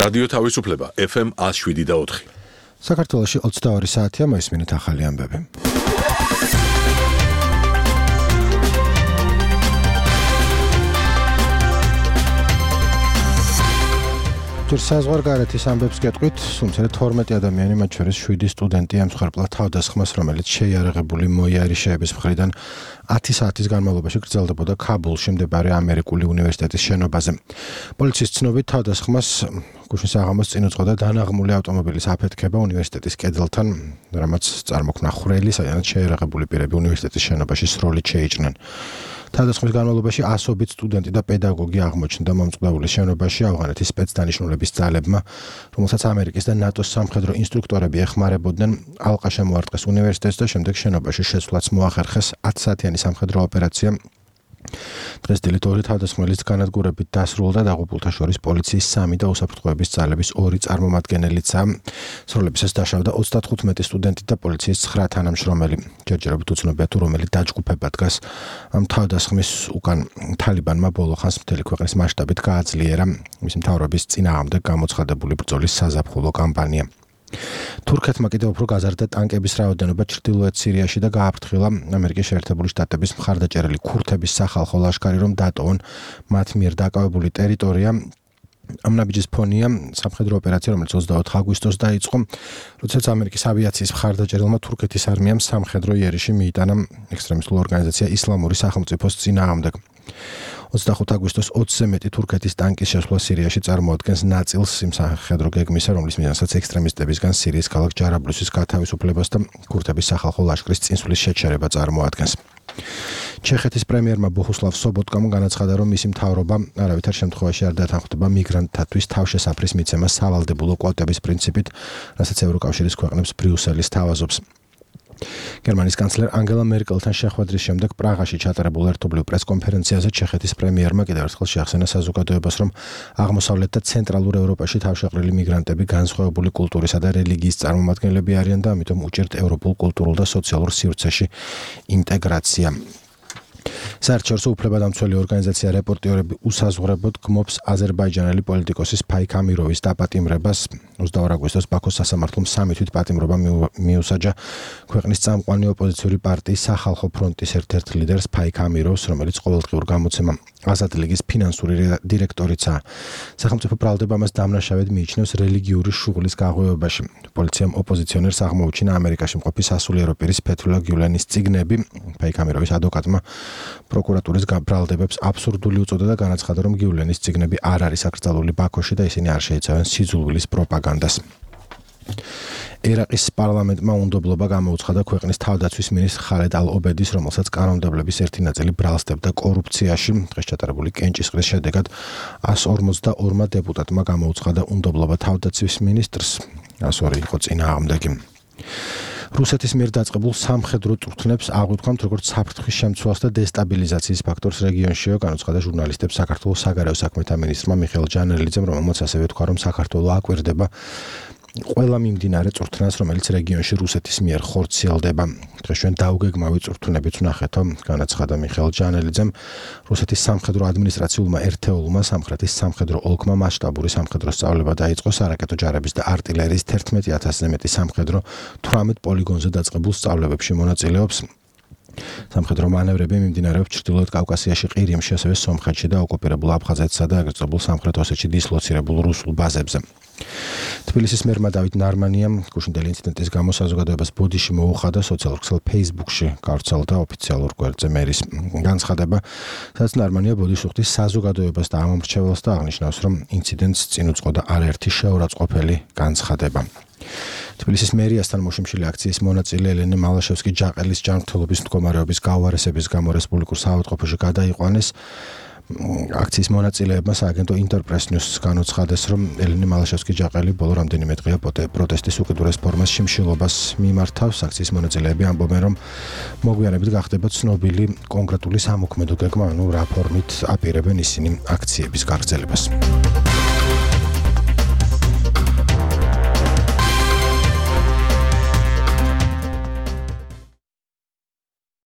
რადიო თავისუფლება FM 107.4. საქართველოში 22 საათია მოისმინეთ ახალი ამბები. ჯერ საზღვარგარეთის ამბებს გეტყვით, თუმცა 12 ადამიანი, მათ შორის 7 სტუდენტი ემსხვერპლა თავდასხმას, რომელიც შეიარაღებული მოიარიშეების მხრიდან 10 საათის განმავლობაში გრძელდებოდა ქაბულში მდებარე ამერიკული უნივერსიტეტის შენობაზე. პოლიციის ცნობით თავდასხმას გუშინ საღამოს წინ უძღოდა დანაღმული ავტომობილის აფეთქება უნივერსიტეტის კედელთან, რამაც წარმოქმნა ხვრელი, სადაც შეიარაღებული პირები უნივერსიტეტის შენობაში სროლით შეიჭრნენ. თავდასხმის განმავლობაში ასობით სტუდენტი და პედაგოგი აღმოჩნდა მომწყდაულის შენობაში ავღანეთის სპეცდანიშნულების ძალებმა, რომელსაც ამერიკის და ნატოს სამხედრო ინსტრუქტორები ეხმარებოდნენ. ალყა შემოარტყეს უნივერსიტეტს და შემდეგ შენობაში შეცვლაც მოახერხეს 10 საათიანი სამხედრო ოპერაცია. დღეს დილით 2 თავდასხმელის განადგურებით დასრულდა დაღუპულთა შორის პოლიციის 3 და უსაფრთხოების ძალების 2 წარმომადგენელიც. სროლებისას დაშავდა 35 სტუდენტი და პოლიციის 9 თანამშრომელი. ჯერჯერობით უცნობია თუ რომელი დაჯგუფება დგას ამ თავდასხმის უკან. თალიბანმა ბოლო ხანს მთელი ქვეყნის მასშტაბით გააძლიერა მისი მთავრობის წინააღმდეგ გამოცხადებული ბრძოლის საზაფხულო კამპანია. თურქეთმა კიდევ უფრო გაზარდა ტანკების რაოდენობა ჩრდილოეთ სირიაში და გააფრთხილა ამერიკის შეერთებული შტატების მხარდაჭერილი ქურთების სახალხო ლაშქარი, რომ დატოვონ მათ მიერ დაკავებული ტერიტორია. ამ ნაბიჯის ფონია სამხედრო ოპერაცია, რომელიც 24 აგვისტოს დაიწყო, როდესაც ამერიკის ავიაციის მხარდაჭერილმა თურქეთის არმიამ სამხედრო იერიში მიიტანა ექსტრემისტულ ორგანიზაცია ისლამური სახელმწიფოს წინააღმდეგ. 25 აგვისტოს 20-ზე მეტი თურქეთის ტანკის შესვლა სირიაში წარმოადგენს ნაწილს იმ სამხედრო გეგმისა, რომლის მიზანსაც ექსტრემისტებისგან სირიის ქალაქ ჯარაბლუსის გათავისუფლებას და ქურთების სახალხო ლაშქრის წინსვლის შეჩერება წარმოადგენს. ჩეხეთის პრემიერმა ბოჰუსლავ სობოტკამ განაცხადა, რომ მისი მთავრობა არავითარ შემთხვევაში არ დათანხმდება მიგრანტთათვის თავშესაფრის მიცემა სავალდებულო კვოტების პრინციპით, რასაც ევროკავშირის ქვეყნებს ბრიუსელის თავაზობს. გერმანიის კანცლერ ანგელა მერკელთან შეხვედრის შემდეგ პრაღაში ჩატარებულ ერთობლივ პრესკონფერენციაზე ჩეხეთის პრემიერმა კიდევ ერთხელ შეახსენა საზოგადოებას, რომ აღმოსავლეთ და ცენტრალურ ევროპაში თავშეყრილი მიგრანტები განსხვავებული კულტურისა და რელიგიის წარმომადგენლები არიან და ამიტომ უჭირთ ევროპულ კულტურულ და სოციალურ სივრცეში ინტეგრაცია. საერთაშორისო უფლებადამცველი ორგანიზაცია რეპორტიორები უსაზღვრებოდ გმობს აზერბაიჯანელი პოლიტიკოსის ფაიქ ამიროვის დაპატიმრებას. 22 აგვისტოს ბაქოს სასამართლომ 3 თვით პატიმრობა მიუსაჯა ქვეყნის წამყვანი ოპოზიციური პარტიის სახალხო ფრონტის ერთ-ერთ ლიდერს ფაიქ ამიროვს, რომელიც ყოველდღიურ გამოცემა აზად ლიგის ფინანსური დირექტორიცაა. სახელმწიფო ბრალდება მას დამნაშავედ მიიჩნევს რელიგიური შუღლის გაღვივებაში. პოლიციამ ოპოზიციონერს აღმოუჩინა ამერიკაში მყოფი სასულიერო პირის ფეთულა გიულენის წიგნები. ფაიქ ამიროვის ადვოკატმა პროკურატურის ბრალდებებს აბსურდული უწოდა და განაცხადა, რომ გიულენის წიგნები არ არის აკრძალული ბაქოში და ისინი არ შეიცავენ სიძულვილის პროპაგანდას. ერაყის პარლამენტმა უნდობლობა გამოუცხადა ქვეყნის თავდაცვის მინისტრ ხალედ ალ-ობედის, რომელსაც კანონმდებლობის ერთი ნაწილი ბრალსდებდა კორუფციაში. დღეს ჩატარებული კენჭისყრის შედეგად 152 დეპუტატმა გამოუცხადა უნდობლობა თავდაცვის მინისტრს, 102 იყო წინააღმდეგი. რუსეთის მიერ დაწყებულ სამხედრო წვრთნებს აღვიქვამთ როგორც საფრთხის შემცველს და დესტაბილიზაციის ფაქტორს რეგიონშიო, განაცხადა ჟურნალისტებს საქართველოს საგარეო საქმეთა მინისტრმა მიხეილ ჯანელიძემ, რომელმაც ასევე თქვა, რომ საქართველო აკვირდება ყველა მიმდინარე წვრთნას, რომელიც რეგიონში რუსეთის მიერ ხორციელდება. დღეს ჩვენ დაუგეგმავი წვრთნებიც ვნახეთო, განაცხადა მიხეილ ჯანელიძემ. რუსეთის სამხედრო ადმინისტრაციულმა ერთეულმა სამხრეთის სამხედრო ოლქმა მასშტაბური სამხედრო სწავლება დაიწყო სარაკეტო ჯარების და артილერიის 11,000-ზე მეტი სამხედრო 18 პოლიგონზე დაწყებულ სწავლებებში მონაწილეობს. სამხედრო მანევრები მიმდინარეობს ჩრდილოეთ კავკასიაში, ყირიმში, ასევე სომხეთში და ოკუპირებულ აფხაზეთსა და აგრეთვე სამხრეთ ოსეთში დისლოცირებულ რუსულ ბაზებზე. თბილისის მერმა დავით ნარმანიამ გუშინდელი ინციდენტის გამო საზოგადოებას ბოდიში მოუხადა, სოციალურ ქსელ Facebook-ში გავრცელდა ოფიციალურ გვერდზე მერის განცხადება, სადაც ნარმანია ბოდიშს უხდის საზოგადოებას და ამომრჩეველს და აღნიშნავს, რომ ინციდენტს წინ უძღოდა არაერთი შეურაცხყოფელი განცხადება. თბილისის მერიასთან მოშიმშილი აქციის მონაწილე ელენე მალაშევსკი-ჯაყელის ჯანმრთელობის მდგომარეობის გაუარესების გამო რესპუბლიკურ საავადმყოფოში გადაიყვანეს. აქციის მონაწილეებმა სააგენტო ინტერპრეს ნიუსს განუცხადეს, რომ ელენე მალაშევსკი-ჯაყელი ბოლო რამდენიმე დღეა პროტესტის უკიდურეს ფორმას შიმშილობას მიმართავს. აქციის მონაწილეები ამბობენ, რომ მოგვიანებით გახდება ცნობილი კონკრეტული სამოქმედო გეგმა, რა ფორმით აპირებენ ისინი აქციების გაგრძელებას.